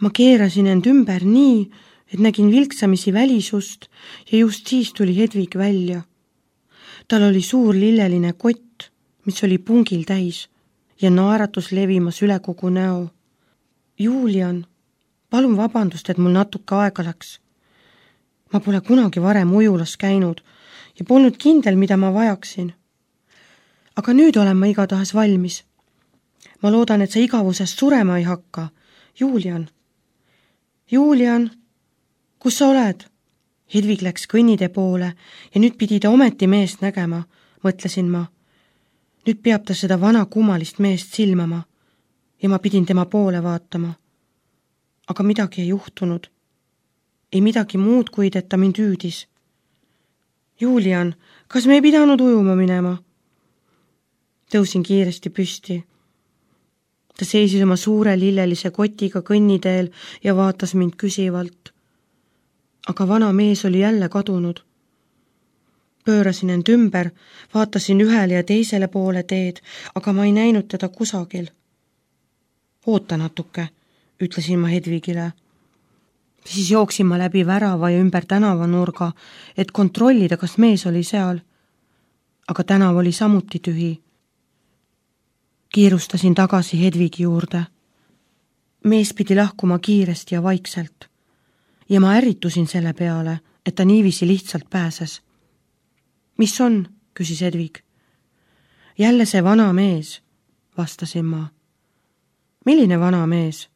Ma keerasin end ümber nii, et nägin vilksamisi välisust ja just siis tuli Hedvig välja. Tal oli suur lilleline kott, mis oli pungil täis ja naeratus levimas üle kogu näo. Julian, palun vabandust, et mul natuke aega läks. Ma pole kunagi varem ujulas käinud ja polnud kindel, mida ma vajaksin. Aga nüüd olen ma igatahes valmis. Ma loodan, et sa igavusest surema ei hakka. Julian! Julian! Kus sa oled? Hedvig läks kõnnitee poole ja nüüd pidi ta ometi meest nägema, mõtlesin ma. Nüüd peab ta seda vana kummalist meest silmama ja ma pidin tema poole vaatama. Aga midagi ei juhtunud. Ei midagi muud, kuid et ta mind hüüdis. Julian, kas me ei pidanud ujuma minema? Tõusin kiiresti püsti. Ta seisis oma suure lillelise kotiga kõnniteel ja vaatas mind küsivalt. Aga vana mees oli jälle kadunud. Pöörasin end ümber, vaatasin ühele ja teisele poole teed, aga ma ei näinud teda kusagil. Oota natuke, ütlesin ma Hedvigile. Siis jooksin ma läbi värava ja ümber tänavanurga, et kontrollida, kas mees oli seal. Aga tänav oli samuti tühi. Kiirustasin tagasi Hedvigi juurde. Mees pidi lahkuma kiiresti ja vaikselt. Ja ma ärritusin selle peale, et ta niiviisi lihtsalt pääses. Mis on? Küsis Hedvig. Jälle see vana mees, vastasin ma. Milline vana mees?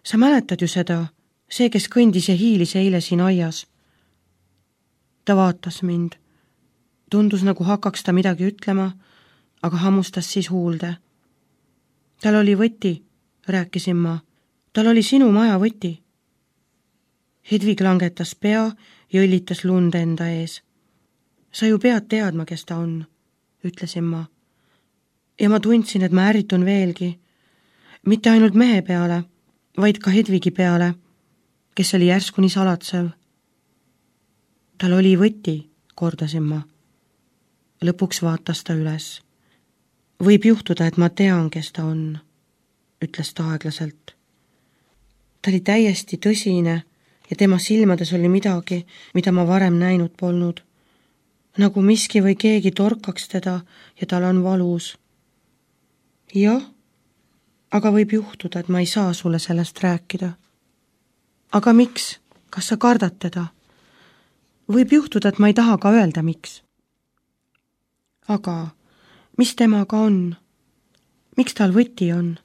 Sa mäletad ju seda, see, kes kõndis ja hiilis eile siin aias. Ta vaatas mind. Tundus nagu hakkaks ta midagi ütlema, aga hammustas siis huulde. Tal oli võti, rääkisin ma. Tal oli sinu maja võti. Hedvig langetas pea ja õllitas lund enda ees. Sa ju pead teadma, kes ta on, ütlesin ma. Ja ma tundsin, et ma ärritun veelgi. Mitte ainult mehe peale, vaid ka Hedvigi peale, kes oli järsku nii salatsev. Tal oli võti, kordasin ma. Lõpuks vaatas ta üles. Võib juhtuda, et ma tean, kes ta on, ütles ta aeglaselt. Ta oli täiesti tõsine ja tema silmades oli midagi, mida ma varem näinud polnud. Nagu miski või keegi torkaks teda ja tal on valus. Jah, aga võib juhtuda, et ma ei saa sulle sellest rääkida. Aga miks? Kas sa kardad teda? Võib juhtuda, et ma ei taha ka öelda, miks. Aga mis temaga on? Miks tal võti on?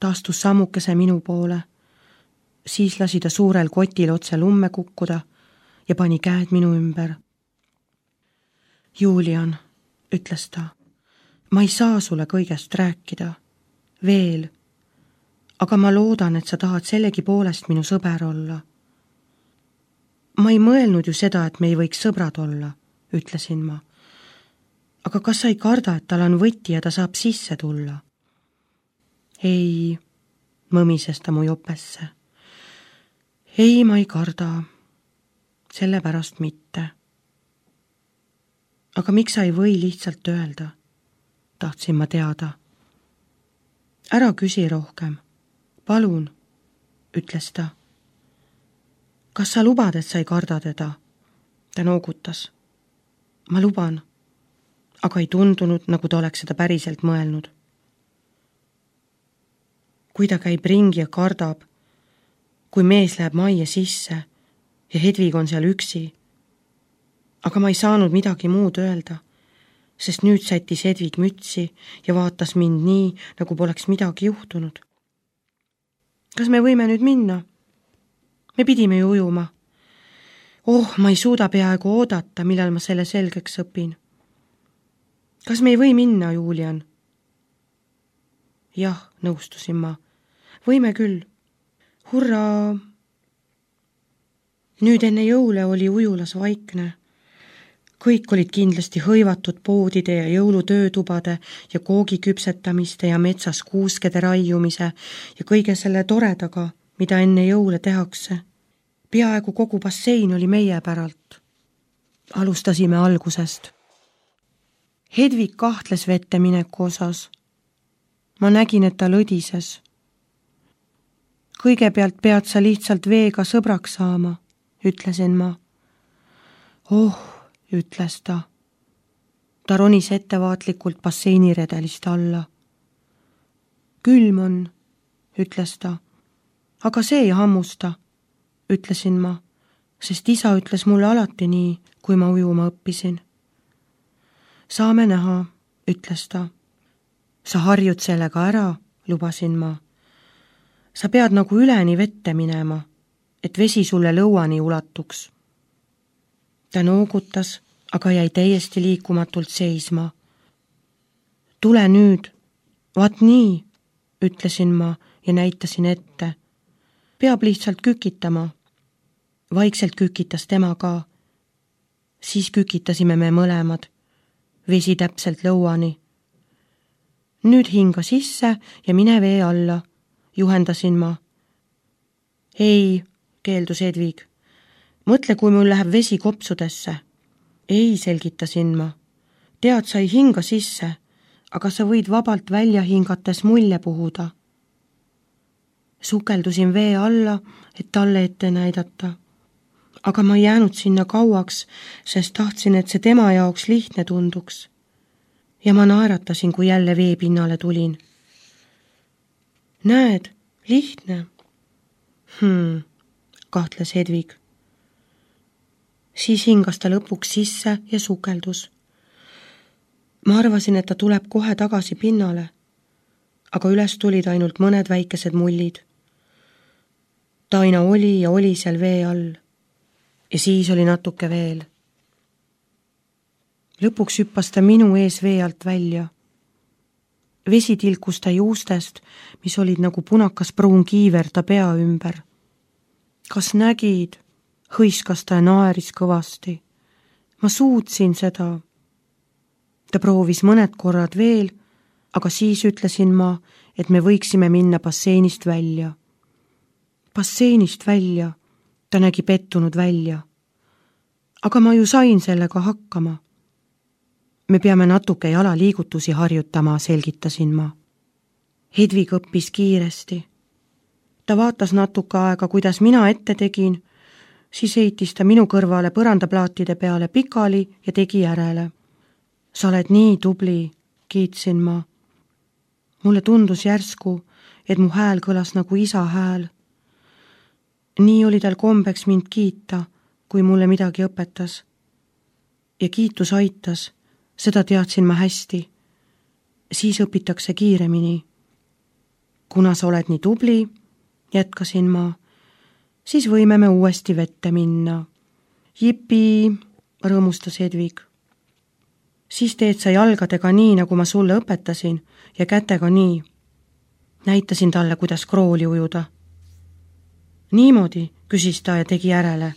Ta astus sammukese minu poole. Siis lasi ta suurel kotil otse lumme kukkuda ja pani käed minu ümber. Julian, ütles ta, ma ei saa sulle kõigest rääkida. Veel. Aga ma loodan, et sa tahad sellegi poolest minu sõber olla. Ma ei mõelnud ju seda, et me ei võiks sõbrad olla, ütlesin ma. Aga kas sa ei karda, et tal on võti ja ta saab sisse tulla? Ei, mõmises ta mu jopesse. Ei, ma ei karda. Sellepärast mitte. Aga miks sa ei või lihtsalt öelda? Tahtsin ma teada. Ära küsi rohkem. Palun, ütles ta. Kas sa lubad, et sa ei karda teda? Ta noogutas. Ma luban. Aga ei tundunud, nagu ta oleks seda päriselt mõelnud. Kui ta käib ringi ja kardab, kui mees läheb majja sisse ja Hedvig on seal üksi. Aga ma ei saanud midagi muud öelda, sest nüüd sättis Hedvig mütsi ja vaatas mind nii, nagu poleks midagi juhtunud. Kas me võime nüüd minna? Me pidime ju ujuma. Ma ei suuda peaaegu oodata, millal ma selle selgeks õpin. Kas me ei või minna, Julian? Jah, nõustusin ma. Võime küll. Hurraa! Nüüd enne jõule oli ujulas vaikne. Kõik olid kindlasti hõivatud poodide ja jõulutöötubade ja koogi küpsetamiste ja metsas kuuskede raiumise ja kõige selle toredaga, mida enne jõule tehakse. Peaaegu kogu bassein oli meie päralt. Alustasime algusest. Hedvig kahtles vette mineku osas. Ma nägin, et ta lõdises. kõigepealt pead sa lihtsalt veega sõbraks saama, ütlesin ma. Oh, ütles ta. Ta ronis ettevaatlikult basseiniredelist alla. Külm on, ütles ta. Aga see ei hammusta, ütlesin ma, sest isa ütles mulle alati nii, kui ma ujuma õppisin. Saame näha, ütles ta. Sa harjud sellega ära, lubasin ma. Sa pead nagu üleni vette minema, et vesi sulle lõuani ulatuks. Ta noogutas, aga jäi täiesti liikumatult seisma. Tule nüüd, vaat nii, ütlesin ma ja näitasin ette. Peab lihtsalt kükitama. Vaikselt kükitas tema ka. Siis kükitasime me mõlemad. Vesi täpselt lõuani. Nüüd hinga sisse ja mine vee alla, juhendasin ma. Ei, keeldus Edvig. Mõtle, kui mul läheb vesi kopsudesse. Ei, selgitasin ma. Tead, sa ei hinga sisse, aga sa võid vabalt välja hingates mulje puhuda. Sukeldusin vee alla, et talle ette näidata. Aga ma ei jäänud sinna kauaks, sest tahtsin, et see tema jaoks lihtne tunduks. Ja ma naeratasin, kui jälle veepinnale tulin. Näed, lihtne. Kahtles Edvig. Siis hingas ta lõpuks sisse ja sukeldus. Ma arvasin, et ta tuleb kohe tagasi pinnale, aga üles tulid ainult mõned väikesed mullid. Ta aina oli ja oli seal vee all ja siis oli natuke veel. Lõpuks hüppas ta minu ees vee alt välja. Vesi tilkus ta juustest, mis olid nagu punakas pruun kiiver ta pea ümber. Kas nägid? Hõiskas ta ja naeris kõvasti. Ma suutsin seda. Ta proovis mõned korrad veel, aga siis ütlesin ma, et me võiksime minna basseinist välja. Basseinist välja, ta nägi pettunud välja. Aga ma ju sain sellega hakkama. Me peame natuke jalaliigutusi harjutama, selgitasin ma. Hedvig õppis kiiresti. Ta vaatas natuke aega, kuidas mina ette tegin, siis heitis ta minu kõrvale põrandaplaatide peale pikali ja tegi järele. Sa oled nii tubli, kiitsin ma. Mulle tundus järsku, et mu hääl kõlas nagu isa hääl. Nii oli tal kombeks mind kiita, kui mulle midagi õpetas. Ja kiitus aitas, seda teadsin ma hästi. Siis õpitakse kiiremini. Kuna sa oled nii tubli, jätkasin ma, siis võime me uuesti vette minna. Jipi, rõõmustas Edvig. Siis teed sa jalgadega nii, nagu ma sulle õpetasin, ja kätega nii. Näitasin talle, kuidas krooli ujuda. Niimoodi, küsis ta ja tegi järele.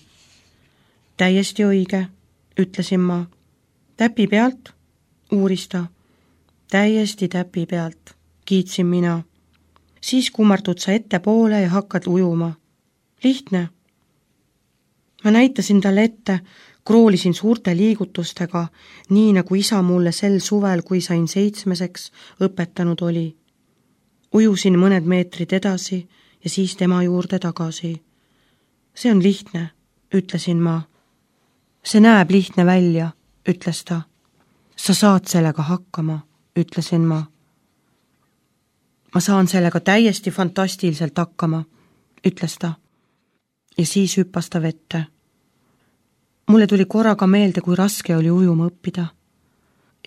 Täiesti õige, ütlesin ma. Täpi pealt, uuris ta. Täiesti täpi pealt, kiitsin mina. Siis kummardud sa ettepoole ja hakkad ujuma. Lihtne. Ma näitasin talle ette, kroolisin suurte liigutustega, nii nagu isa mulle sel suvel, kui sain 7, õpetanud oli. Ujusin mõned meetrid edasi ja siis tema juurde tagasi. See on lihtne, ütlesin ma. See näeb lihtne välja, ütles ta. Sa saad sellega hakkama, ütlesin ma. Ma saan sellega täiesti fantastiliselt hakkama, ütles ta. Ja siis hüppas ta vette. Mulle tuli korraga meelde, kui raske oli ujuma õppida.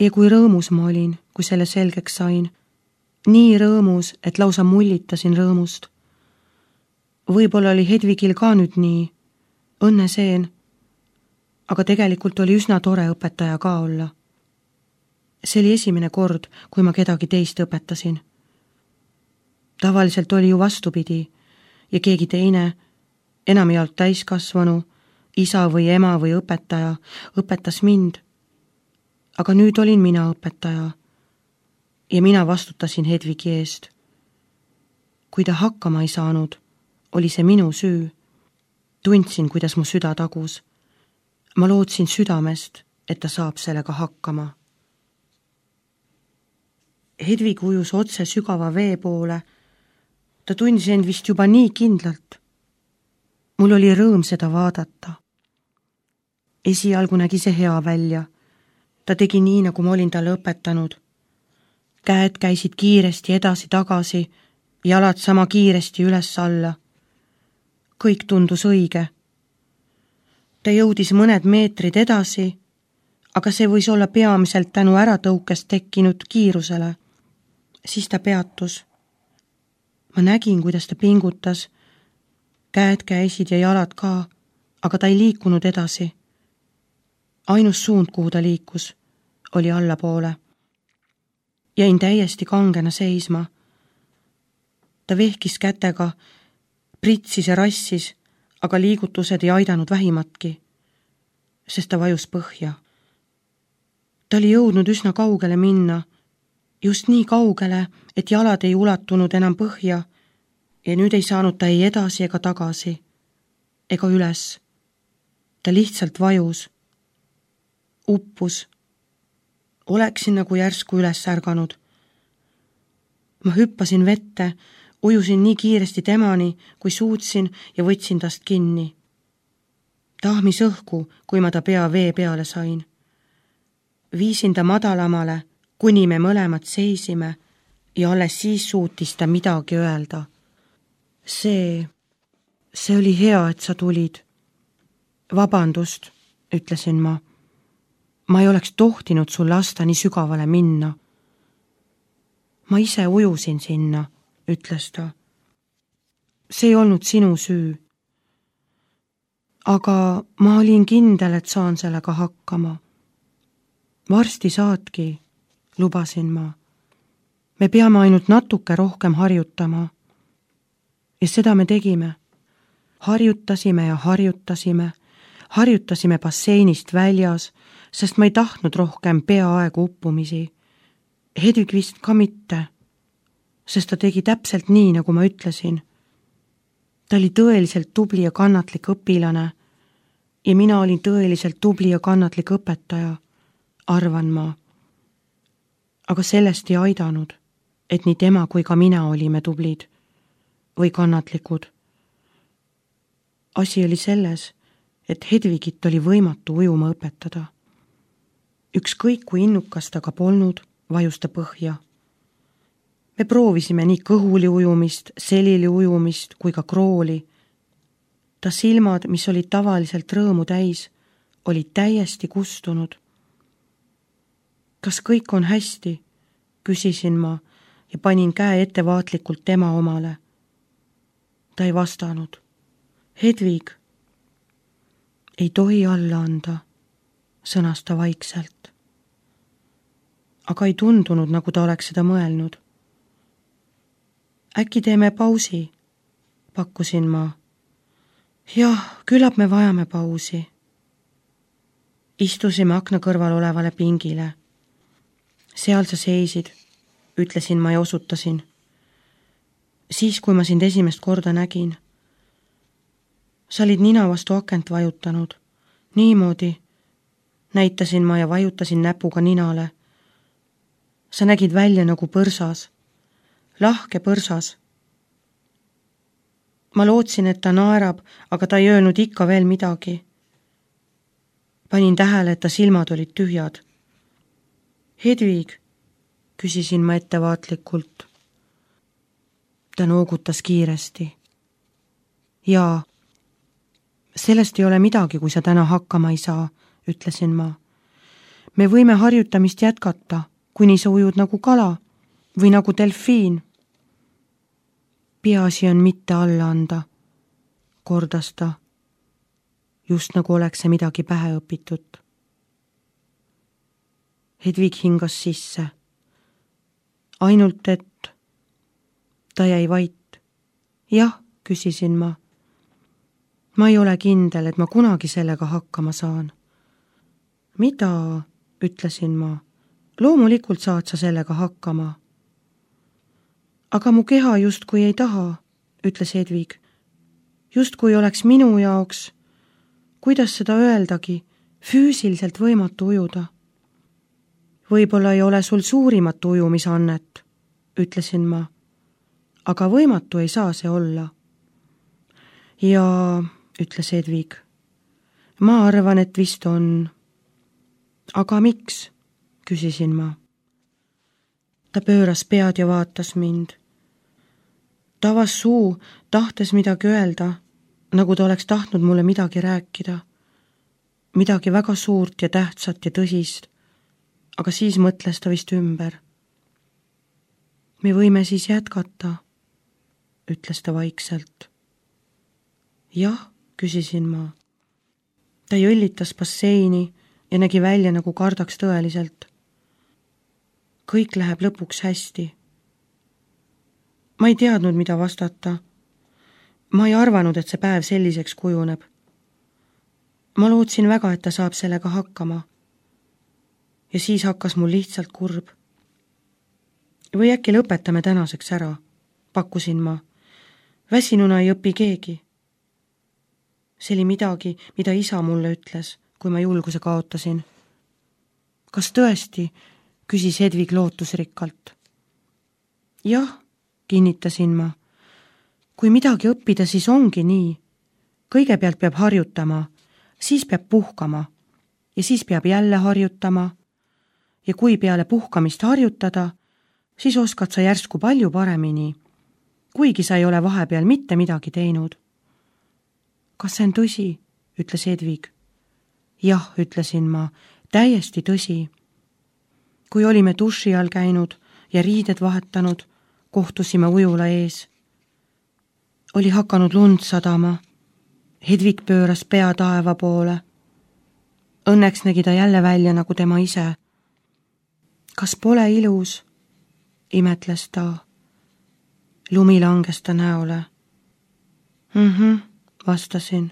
Ja kui rõõmus ma olin, kui selle selgeks sain. Nii rõõmus, et lausa mullitasin rõõmust. Võib-olla oli Hedvigil ka nüüd nii. Õnneseen. Aga tegelikult oli üsna tore õpetaja ka olla. See oli esimene kord, kui ma kedagi teist õpetasin. Tavaliselt oli ju vastupidi ja keegi teine, enamjaolt täiskasvanu, isa või ema või õpetaja, õpetas mind. Aga nüüd olin mina õpetaja ja mina vastutasin Hedvigi eest. Kui ta hakkama ei saanud, oli see minu süü. Tundsin, kuidas mu süda tagus. Ma lootsin südamest, et ta saab sellega hakkama. Hedvig ujus otse sügava vee poole. Ta tundis end vist juba nii kindlalt. Mul oli rõõm seda vaadata. Esialgu nägi see hea välja. Ta tegi nii, nagu ma olin talle õpetanud. Käed käisid kiiresti edasi-tagasi, jalad sama kiiresti üles-alla. Kõik tundus õige. Ta jõudis mõned meetrid edasi, aga see võis olla peamiselt tänu äratõukest tekkinud kiirusele. Siis ta peatus. Ma nägin, kuidas ta pingutas. Käed käisid ja jalad ka, aga ta ei liikunud edasi. Ainus suund, kuhu ta liikus, oli allapoole. Jäin täiesti kangena seisma. Ta vehkis kätega, pritsis ja rassis, aga liigutused ei aidanud vähimatki, sest ta vajus põhja. Ta oli jõudnud üsna kaugele minna, just nii kaugele, et jalad ei ulatunud enam põhja ja nüüd ei saanud ta ei edasi ega tagasi, ega üles. Ta lihtsalt vajus, uppus. Oleksin nagu järsku üles ärganud. Ma hüppasin vette, ujusin nii kiiresti temani, kui suutsin ja võtsin tast kinni. Tahmis õhku, kui ma ta pea vee peale sain. Viisin ta madalamale, kuni me mõlemad seisime ja alles siis suutis ta midagi öelda. See oli hea, et sa tulid. Vabandust, ütlesin ma. Ma ei oleks tohtinud sul lasta nii sügavale minna. Ma ise ujusin sinna, ütles ta. See ei olnud sinu süü. Aga ma olin kindel, et saan sellega hakkama. Varsti saadki, lubasin ma. Me peame ainult natuke rohkem harjutama. Ja seda me tegime. Harjutasime ja harjutasime. Harjutasime basseinist väljas, sest ma ei tahtnud rohkem peaaegu uppumisi. Hedvig vist ka mitte, sest ta tegi täpselt nii, nagu ma ütlesin. Ta oli tõeliselt tubli ja kannatlik õpilane ja mina olin tõeliselt tubli ja kannatlik õpetaja, arvan ma. Aga sellest ei aidanud, et nii tema kui ka mina olime tublid või kannatlikud. Asi oli selles, et Hedvigit oli võimatu ujuma õpetada. Ükskõik kui innukas ta ka polnud, vajus ta põhja. Me proovisime nii kõhuli ujumist, selili ujumist kui ka krooli. Ta silmad, mis olid tavaliselt rõõmu täis, olid täiesti kustunud. Kas kõik on hästi? Küsisin ma ja panin käe ettevaatlikult tema omale. Ta ei vastanud. Hedvig, ei tohi alla anda, sõnas ta vaikselt. Aga ei tundunud, nagu ta oleks seda mõelnud. Äkki teeme pausi, pakkusin ma. Jah, küllap me vajame pausi. Istusime akna kõrval olevale pingile. Seal sa seisid, ütlesin ma ja osutasin. Siis, kui ma sind esimest korda nägin. Sa olid nina vastu akent vajutanud. Niimoodi. Näitasin ma ja vajutasin näpuga ninale. Sa nägid välja nagu põrsas. Lahke põrsas. Ma lootsin, et ta naerab, aga ta ei öelnud ikka veel midagi. Panin tähele, et ta silmad olid tühjad. Hedvig, küsisin ma ettevaatlikult. Ta noogutas kiiresti. Jaa, sellest ei ole midagi, kui sa täna hakkama ei saa, ütlesin ma. Me võime harjutamist jätkata, kuni sa ujud nagu kala või nagu delfiin. Peaasi on mitte alla anda, kordas ta, just nagu oleks see midagi pähe õpitud. Hedvig hingas sisse. Ainult, et ta jäi vait. Jah, küsisin ma. Ma ei ole kindel, et ma kunagi sellega hakkama saan. Mida, ütlesin ma. Loomulikult saad sa sellega hakkama. Aga mu keha justkui ei taha, ütles Hedvig. Justkui oleks minu jaoks, kuidas seda öeldagi, füüsiliselt võimatu ujuda. Võib-olla ei ole sul suurimat ujumisannet, ütlesin ma. aga võimatu ei saa see olla. Ja, ütles Hedvig, ma arvan, et vist on. Aga miks? Küsisin ma. Ta pööras pead ja vaatas mind. Ta avas suu, tahtes midagi öelda, nagu ta oleks tahtnud mulle midagi rääkida. Midagi väga suurt ja tähtsat ja tõsist, aga siis mõtles ta vist ümber. Me võime siis jätkata, ütles ta vaikselt. Jah, küsisin ma. Ta jõllitas basseini ja nägi välja, nagu kardaks tõeliselt. Kõik läheb lõpuks hästi. Ma ei teadnud, mida vastata. Ma ei arvanud, et see päev selliseks kujuneb. Ma lootsin väga, et ta saab sellega hakkama. Ja siis hakkas mul lihtsalt kurb. Või äkki lõpetame tänaseks ära, pakkusin ma. Väsinuna ei õpi keegi. See oli midagi, mida isa mulle ütles, kui ma julguse kaotasin. Kas tõesti? Küsis Hedvig lootusrikkalt. Jah, kinnitasin ma. Kui midagi õppida, siis ongi nii. Kõigepealt peab harjutama, siis peab puhkama ja siis peab jälle harjutama. Ja kui peale puhkamist harjutada, siis oskad sa järsku palju paremini, kuigi sa ei ole vahepeal mitte midagi teinud. Kas see on tõsi? Ütles Hedvig. Jah, ütlesin ma, täiesti tõsi. Kui olime duši all käinud ja riided vahetanud, kohtusime ujula ees. Oli hakanud lund sadama. Hedvig pööras pea taeva poole. Õnneks nägi ta jälle välja nagu tema ise. Kas pole ilus? Imetles ta. Lumi langes ta näole. Vastasin.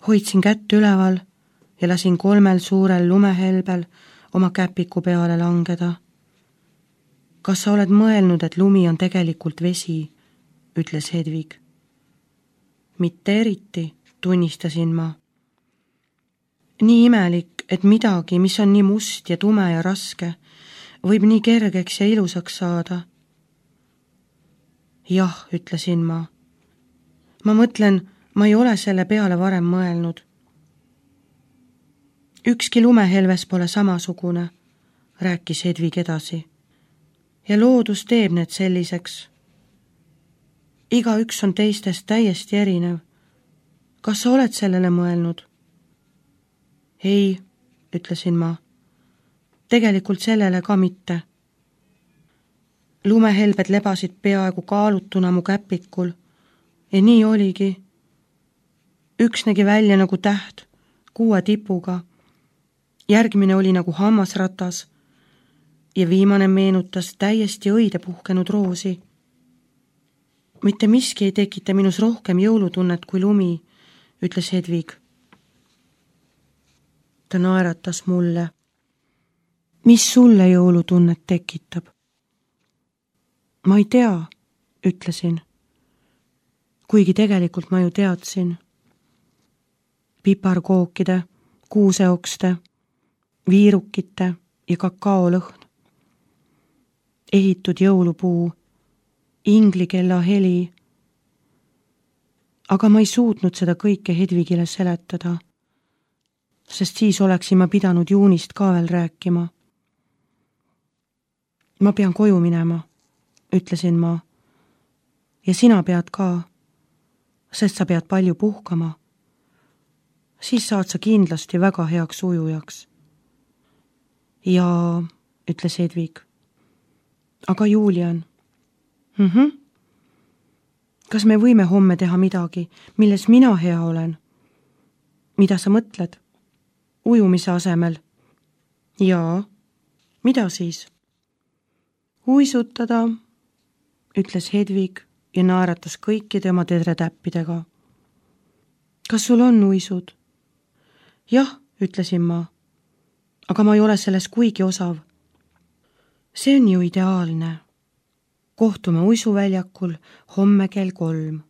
Hoidsin kätt üleval ja lasin 3 suurel lumehelbel oma käpiku peale langeda. Kas sa oled mõelnud, et lumi on tegelikult vesi? Ütles Hedvig. Mitte eriti, tunnistasin ma. Nii imelik, et midagi, mis on nii must ja tume ja raske, võib nii kergeks ja ilusaks saada. Jah, ütlesin ma. Ma mõtlen, ma ei ole selle peale varem mõelnud. Ükski lumehelves pole samasugune, rääkis Hedvig edasi. Ja loodus teeb need selliseks. Igaüks on teistest täiesti erinev. Kas sa oled sellele mõelnud? Ei, ütlesin ma. Tegelikult sellele ka mitte. Lumehelbed lebasid peaaegu kaalutuna mu käpikul ja nii oligi. Üks nägi välja nagu täht 6 tipuga. Järgmine oli nagu hammasratas ja viimane meenutas täiesti õide puhkenud roosi. Mitte miski ei tekita minus rohkem jõulutunnet kui lumi, ütles Hedvig. Ta naeratas mulle. Mis sulle jõulutunnet tekitab? Ma ei tea, ütlesin. Kuigi tegelikult ma ju teadsin. Piparkookide, kuuseokste, viirukite ja kakaolõhn. Ehitud jõulupuu, inglikella heli. Aga ma ei suutnud seda kõike Hedvigile seletada, sest siis oleksin ma pidanud juunist ka veel rääkima. Ma pean koju minema, ütlesin ma. Ja sina pead ka, sest sa pead palju puhkama. Siis saad sa kindlasti väga heaks ujujaks. Ja, ütles Hedvig. Aga Julian? Kas me võime homme teha midagi, milles mina hea olen? Mida sa mõtled? Ujumise asemel? Jaa. Mida siis? Uisutada, ütles Hedvig ja naeratas kõikide oma tedretäppidega. Kas sul on uisud? Jah, ütlesin ma. Aga ma ei ole selles kuigi osav. See on ju ideaalne. Kohtume uisuväljakul homme kell 3.